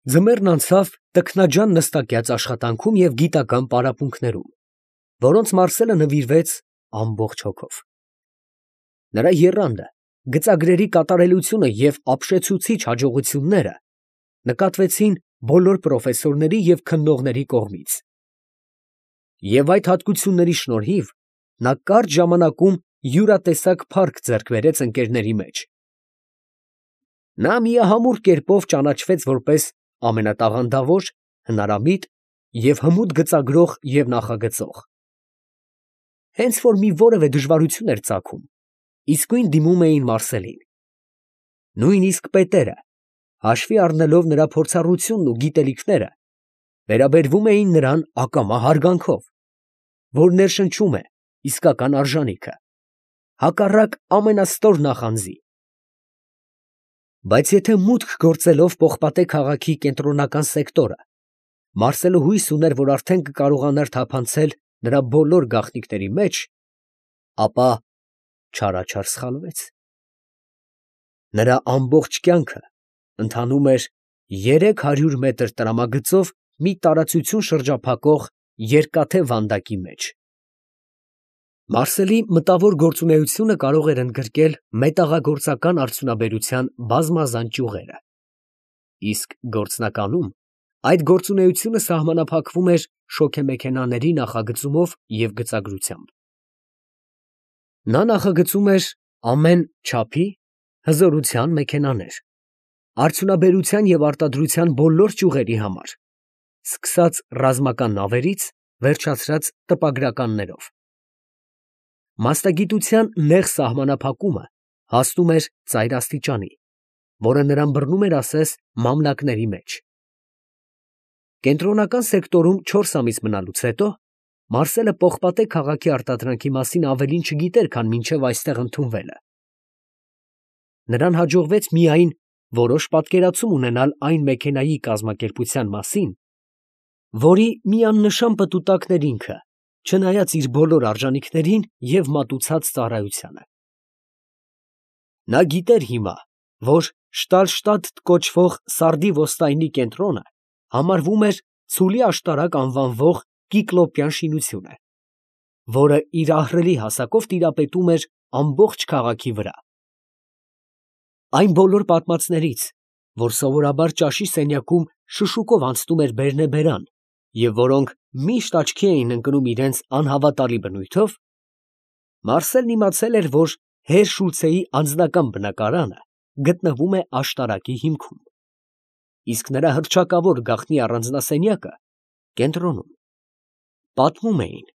Ձմեռն անցավ տքնաջան նստակյաց աշխատանքում և գիտական պարապմունքներում, որոնց Մարսելը նվիրվեց ամբողջ հոգով։ Նրա եռանդը, գծագրերի կատարելությունը և ապշեցուցիչ հաջողությունները նկատվեցին բոլոր պրոֆեսորների և քննողների կողմից, և այդ հատկությունների շնորհիվ նա կարճ ժամանակում յուրատեսակ փառք ձեռք բերեց ընկերների մեջ։ Նա միամուռ կերպով ճանաչվեց որպես ամենատաղանդավոր, հնարամիտ և հմուտ գծագրող և նախագծող։ Հենց որ մի որևէ դժվարություն էր ծագում, իսկույն դիմում էին Մարսելին։ Նույնիսկ պետերը, հաշվի առնելով նրա փորձառությունն ու գիտելիքները, վերաբերվում էին նրան ակամա հարգանքով, որ ներշնչում է իսկական արժանիքը, հակառակ ամենաստոր նախանձի։ Բայց եթե մուտք գործելով Պողպատե քաղաքի կենտրոնական սեկտորը, Մարսելը հույս ուներ, որ արդեն կկարողանար թափանցել նրա բոլոր գաղտնիքների մեջ, ապա չարաչար սխալվեց։ Նրա ամբողջ կյանքը ընթանում էր 300 մետր տրամագծով մի տարածություն շրջափակող երկաթե վանդակի մեջ։ Մարսելի մտավոր գործունեությունը կարող էր ընդգրկել մետաղագործական արդյունաբերության բազմազան ճյուղերը, իսկ գործնականում այդ գործունեությունը սահմանափակվում էր շոգեմեքենաների նախագծումով և գծագրությամբ։ Նա նախագծում էր ամեն չափի, հզորության մեքենաներ, արդյունաբերության և արտադրության բոլոր ճյուղերի համար, սկսած ռազմական նավերից, վերջացրած տպագրականներով։ Մասնագիտության նեղ սահմանափակումը հասնում էր ծայր աստիճանի, որը նրան բռնում էր ասես մամլակների մեջ։ Կենտրոնական սեկտորում 4 ամիս մնալուց հետո Մարսելը Պողպատե քաղաքի արտադրանքի մասին ավելին չգիտեր, քան մինչև այստեղ ընդունվելը։ Նրան հաջողվեց միայն որոշ պատկերացում ունենալ այն մեքենայի կազմակերպության մասին, որի միանշան պտուտակն էր ինքը, չնայած իր բոլոր արժանիքներին և մատուցած ծառայությանը։ Նա գիտեր հիմա, որ Շտալշտադտ կոչվող սարդի ոստայնի կենտրոնը համարվում էր Ցուլի աշտարակ անվանվող կիկլոպյան շինությունը, որը իր ահռելի հասակով տիրապետում էր ամբողջ քաղաքի վրա։ Այն բոլոր պատմածներից, որ սովորաբար ճաշի սենյակում շշուկով անցնում էր բերնեբերան և որոնք միշտ աչքի էին ընկնում իրենց անհավատալի բնույթով, Մարսելն իմացել էր, որ հեր Շուլցեի անձնական բնակարանը գտնվում է աշտարակի հիմքում, իսկ նրա հռչակավոր գաղտնի առանձնասենյակը կենտրոնում։ Պատմում էին,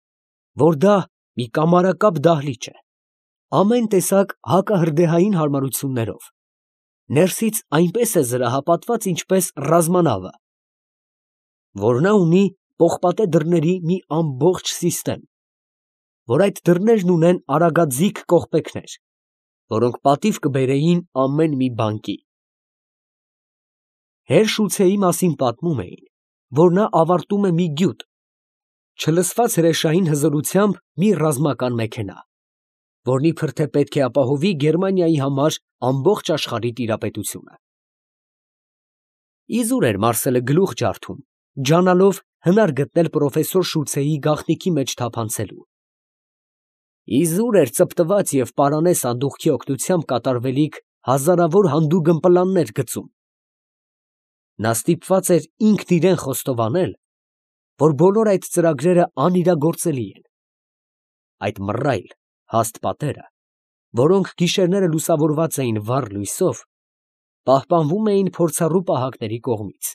որ դա մի կամարակապ դահլիճ է, ամեն տեսակ հակահրդեհային հարմարություններով, ներսից այնպես է զրահապատված, ինչպես ռազմանավը, որ նա ունի պողպատե դռների մի ամբողջ սիստեմ, որ այդ դռներն ունեն արագաձիգ կողպեքներ, որոնք պատիվ կբերեին ամեն մի բանկի։ Հեր Շուլցեի մասին պատմում էին, որ նա ավարտում է մի գյուտ, չլսված հրեշային հզորությամբ մի ռազմական մեքենա, որն իբր թե պետք է ապահովի Գերմանիայի համար ամբողջ աշխարհի տիրապետությունը։ Իզուր էր Մարսելը գլուխ ջարդում, ջանալով հնար գտնել պրոֆեսոր Շուլցեի գաղտնիքի մեջ թափանցելու։ Իզուր էր ծպտված և պարանե սանդուղքի օգնությամբ կատարվելիք հազարավոր հանդուգն պլաններ գծում։ Նա ստիպված էր ինքն իրան խոստովանել, որ բոլոր այդ ծրագրերը անիրագործելի են։ Այդ մռայլ, հաստ պատերը, որոնք գիշերները լուսավորված էին վառ լույսով, պահպանվում էին փորձառու պահակների կողմից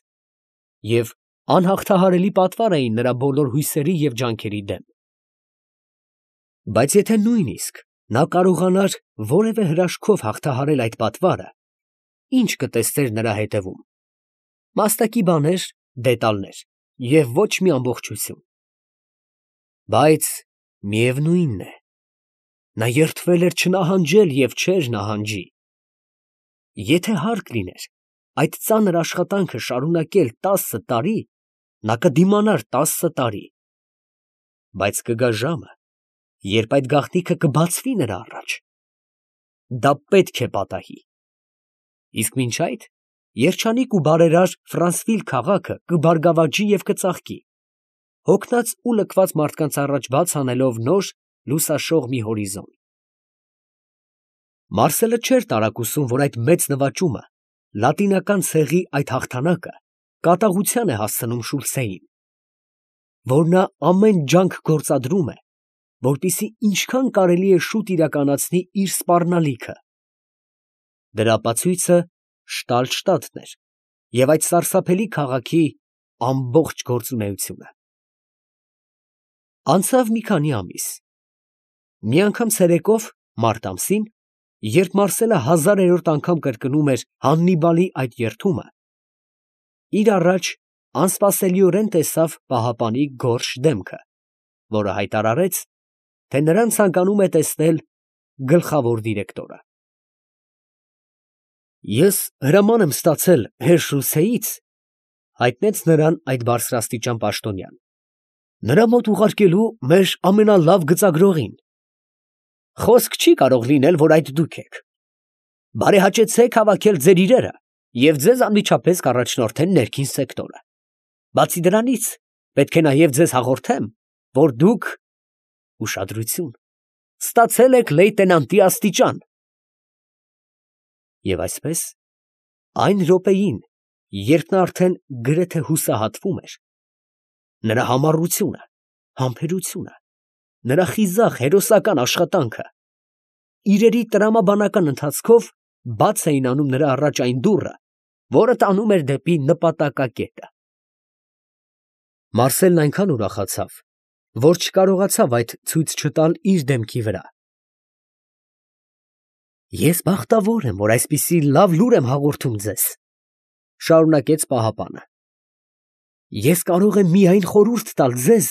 և անհաղթահարելի պատվար էին նրա բոլոր հույսերի և ջանքերի դեմ։ Բայց եթե նույնիսկ նա կարողանար որևէ հրաշքով հաղթահարել այդ պատվարը, ի՞նչ կտեսներ նրա հետևում։ Մաստակի բաներ, դետալներ և ոչ մի ամբողջություն։ Բայց միևնույնն է, նա երդվել էր չնահանջել և չէր նահանջի։ Եթե հարկ լիներ այդ ծանր աշխատանքը շարունակել 10 տարի, նա կդիմանար 10 տարի։ Բայց կգա ժամը, երբ այդ գաղտնիքը կբացվի նրա առաջ։ Դա պետք է պատահի։ Իսկ մինչ այդ Երջանիկ ու բարերար Ֆրանսվիլ քաղաքը կբարգավաճի և կծաղկի, հոգնած ու լքված մարդկանց առաջ բաց անելով նոր լուսաշող մի հորիզոն։ Մարսելը չէր տարակուսում, որ այդ մեծ նվաճումը, լատինական ցեղի այդ հաղթանակը կատաղության է հասցնում Շուլցեին, որ նա ամեն ջանք գործադրում է, որպեսզի ինչքան կարելի է շուտ իրականացնի իր սպառնալիքը։ Դրա ապացույցը Շտալշտադտն էր և այդ սարսափելի քաղաքի ամբողջ գործունեությունը։ Անցավ մի քանի ամիս։ Մի անգամ ցերեկով, մարտ ամսին, երբ Մարսելը 1000-րդ անգամ կրկնում էր Հաննիբալի այդ երդումը, իր առաջ անսպասելիորեն տեսավ պահապանի գորշ դեմքը, որը հայտարարեց, թե նրան ցանկանում է տեսնել գլխավոր դիրեկտորը։ Ես հրաման եմ ստացել հեր Շուլցեից, հայտնեց նրան այդ բարձրաստիճան պաշտոնյան, նրա մոտ ուղարկելու մեր ամենալավ գծագրողին։ Խոսք չի կարող լինել, որ այդ դուք եք։ Բարեհաճեցեք հավաքել ձեր իրերը և ձեզ անմիջապես կառաջնորդեն ներքին սեկտորը։ Բացի դրանից, պետք է նաև ձեզ հաղորդեմ, որ դուք ուշադրություն ստացել եք լեյտենանտի աստիճան։ Եվ այսպես, այն րոպեին, երբ նա արդեն գրեթե հուսահատվում էր, նրա համառությունը, համբերությունը, նրա խիզախ հերոսական աշխատանքը, իրերի տրամաբանական ընթացքով բաց էին անում նրա առաջ այն դուռը, որը տանում էր դեպի նպատակակետը։ Մարսելն այնքան ուրախացավ, որ չկարողացավ այդ ցույց չտալ իր դեմքի վրա։ Ես բախտավոր եմ, որ այսպիսի լավ լուր եմ հաղորդում ձեզ, շարունակեց պահապանը։ Ես կարող եմ միայն խորհուրդ տալ ձեզ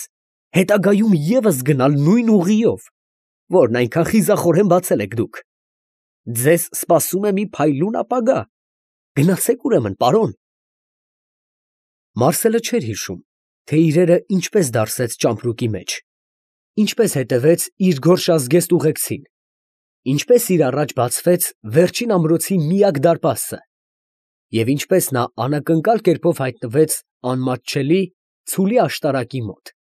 հետագայում ևս գնալ նույն ուղիով, որն այնքան խիզախորեն բացել եք դուք։ Ձեզ սպասում է մի փայլուն ապագա։ Գնացեք ուրեմն, պարոն։ Մարսելը չէր հիշում, թե իրերը ինչպես դարսեց ճամպրուկի մեջ, ինչպես հետևեց իր գորշազգեստ ուղեկցին, ինչպես իր առաջ բացվեց վերջին ամրոցի միակ դարպասը, և ինչպես նա անակնկալ կերպով հայտնվեց անմատչելի ցուլի աշտարակի մոտ,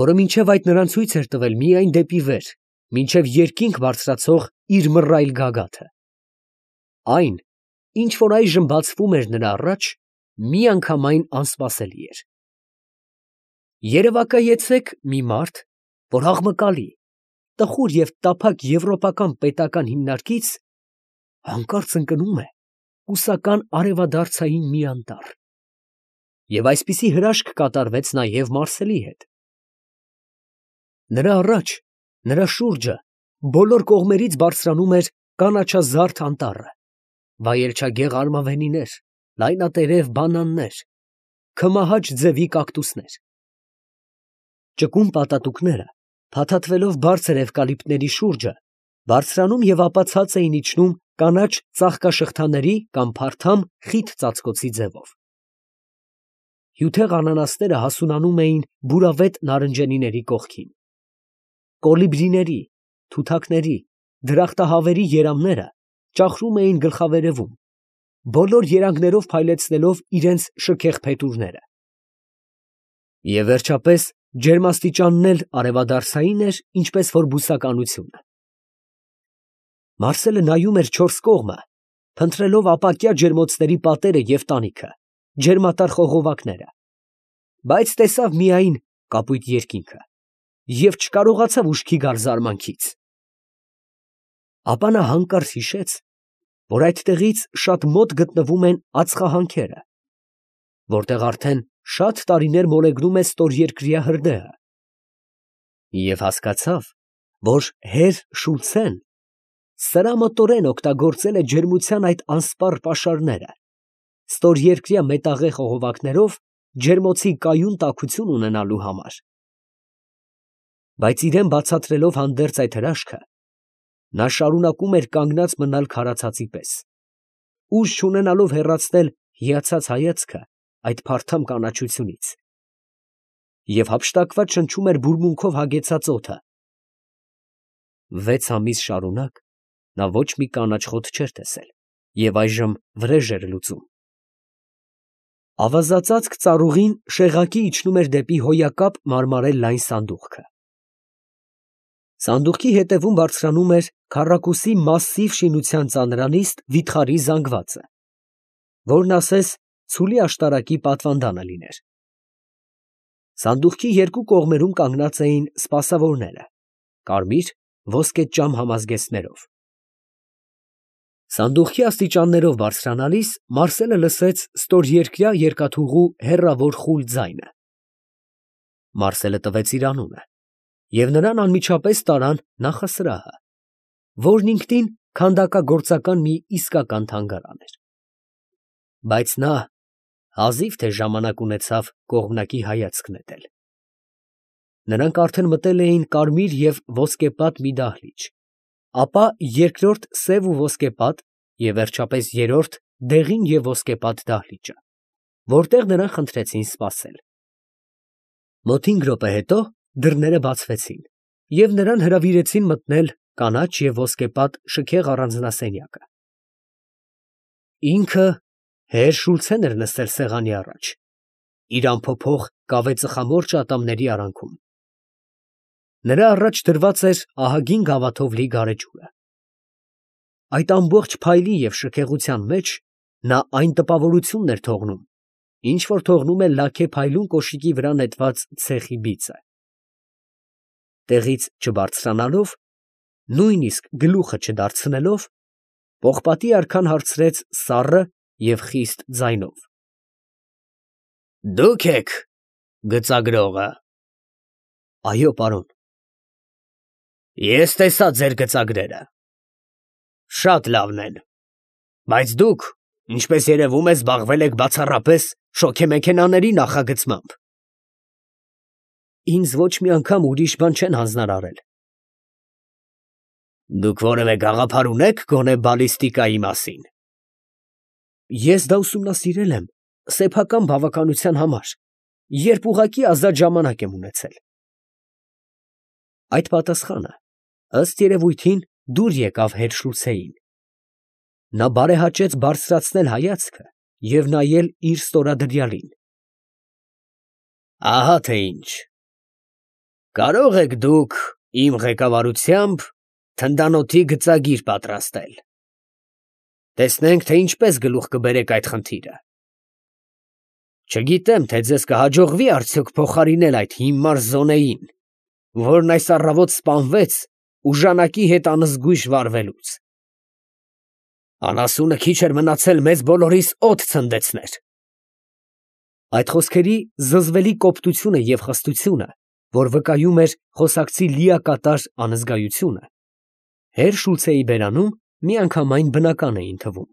որը մինչև այդ նրան ցույց էր տվել միայն դեպի վեր, մինչև երկինք բարձրացող իր մռայլ գագաթը։ Այն, ինչ որ այժմ բացվում էր նրա առաջ, միանգամայն անսպասելի էր։ Երևակայեցեք մի մարդ, որ աղմկալի, տխուր և տափակ եվրոպական պետական հիմնարկից հանկարծ ընկնում է հուսական արևադարձային մի անտառ։ Եվ այսպիսի հրաշք կատարվեց նաև Մարսելի հետ։ Նրա առաջ, նրա շուրջը բոլոր կողմերից բարձրանում էր կանաչազարդ անտառը, վայելչագեղ արմավենիներ, լայնատերև բանաններ, քմահաճ ձևի կակտուսներ։ Ճկուն պատատուկները, փաթաթվելով բարձր էվկալիպտների շուրջը, բարձրանում և ապա ցած էին իջնում կանաչ ծաղկաշղթաների կամ փարթամ խիտ ծածկոցի ձևով։ Հյութեղ անանասները հասունանում էին բուրավետ նարնջենիների կողքին։ Կոլիբրիների, թութակների, դրախտահավերի երամները ճախրում էին գլխավերևում, բոլոր երանգներով փայլեցնելով իրենց շքեղ փետուրները։ Եվ վերջապես ջերմաստիճանն էլ արևադարձային էր, ինչպես որ բուսականությունը։ Մարսելը նայում էր չորս կողմը, փնտրելով ապակյա ջերմոցների պատերը և տանիքը, ջերմատար խողովակները, բայց տեսավ միայն կապույտ երկինքը և չկարողացավ ուշքի գալ զարմանքից։ Ապա նա հանկարծ հիշեց, որ այդտեղից շատ մոտ գտնվում են ածխահանքերը, որտեղ արդեն շատ տարիներ մոլեգնում է ստորերկրյա հրդեհը, և հասկացավ, որ հեր Շուլցեն սրամտորեն օգտագործել է ջերմության այդ անսպառ պաշարները, ստորերկրյա մետաղե խողովակներով ջերմոցի կայուն տաքություն ունենալու համար։ Բայց իրան բացատրելով հանդերձ այդ հրաշքը, նա շարունակում էր կանգնած մնալ քարացածի պես, ուժ չունենալով հեռացնել հիացած հայացքը այդ փարթամ կանաչությունից, և հափշտակված շնչում էր բուրմունքով հագեցած օդը։ 6 ամիս շարունակ նա ոչ մի կանաչ խոտ չէր տեսել և այժմ վրեժ էր լուծում։ Ավազածածկ ծառուղին շեղակի իջնում էր դեպի հոյակապ մարմարել լայն սանդուղքը։ Սանդուղքի հետևում բարձրանում էր քառակուսի մասսիվ շինության ծանրանիստ վիթխարի զանգվածը, որն ասես ցուլի աշտարակի պատվանդանը լիներ։ Սանդուղքի երկու կողմերում կանգնած էին սպասավորները, կարմիր, ոսկեճամ համազգեստներով։ Սանդուղքի աստիճաններով բարձրանալիս Մարսելը լսեց ստորերկրյա երկաթուղու հեռավոր խուլ ձայնը։ Մարսելը տվեց իր անունը, և նրան անմիջապես տարան նախասրահը, որն ինքնին քանդակագործական մի իսկական թանգարան էր։ Բայց նա հազիվ թե ժամանակ ունեցավ կողմնակի հայացք նետել։ Նրանք արդեն մտել էին կարմիր և ոսկեպատ մի դահլիճ, ապա երկրորդ սև ու ոսկեպատ և վերջապես երրորդ դեղին և ոսկեպատ դահլիճը, որտեղ նրան խնդրեցին սպասել։ Մոտ 5 րոպե հետո դռները բացվեցին, և նրան հրավիրեցին մտնել կանաչ և ոսկեպատ շքեղ առանձնասենյակը։ Ինքը հեր Շուլցեն էր նստել սեղանի առաջ, իր անփոփոխ կավե ծխամորճ ատամների արանքում։ Նրա առաջ դրված էր ահագին գավաթով լի գարեջուրը։ Այդ ամբողջ փայլի և շքեղության մեջ նա այն տպավորությունն էր թողնում, ինչ որ թողնում է լաքե փայլուն կոշիկի վրա նետված ցեխի բիծը։ Տեղից չբարձրանալով, նույնիսկ գլուխը չդարձնելով, պողպատի արքան հարցրեց սառը և խիստ ձայնով. ֊ Դուք եք գծագրողը։ ֊ Այո, պարոն։ ֊ Ես տեսա ձեր գծագրերը. շատ լավն են, բայց դուք, ինչպես երևում է, զբաղվել եք բացառապես շոգեմեքենաների նախագծմամբ։ ֊ Ինձ ոչ մի անգամ ուրիշ բան չեն հանձնարարել։ ֊ Դուք որևէ գաղափար ունե՞ք գոնե բալիստիկայի մասին։ ֊ Ես դա ուսումնասիրել եմ սեփական բավականության համար, երբ ուղղակի ազատ ժամանակ եմ ունեցել։ Այդ պատասխանը, ըստ երևույթին, դուր եկավ հեր Շուլցեին։ Նա բարեհաճեց բարձրացնել հայացքը և նայել իր ստորադրյալին։ ֊ Ահա թե ինչ. կարող եք դուք իմ ղեկավարությամբ թնդանոթի գծագիր պատրաստել. տեսնենք, թե ինչպես գլուխ կբերեք այդ խնդիրը։ Չգիտեմ, թե ձեզ կհաջողվի արդյոք փոխարինել այդ հիմար Զոնեին, որն այս առավոտ սպանվեց ուժանակի հետ անզգույշ վարվելուց։ Անասունը քիչ էր մնացել մեզ բոլորիս օդ ցնդեցներ։ Այդ խոսքերի զզվելի կոպտությունը և խստությունը, որ վկայում էր խոսակցի լիակատար անզգայությունը, հեր Շուլցեի բերանում միանգամայն բնական էին թվում։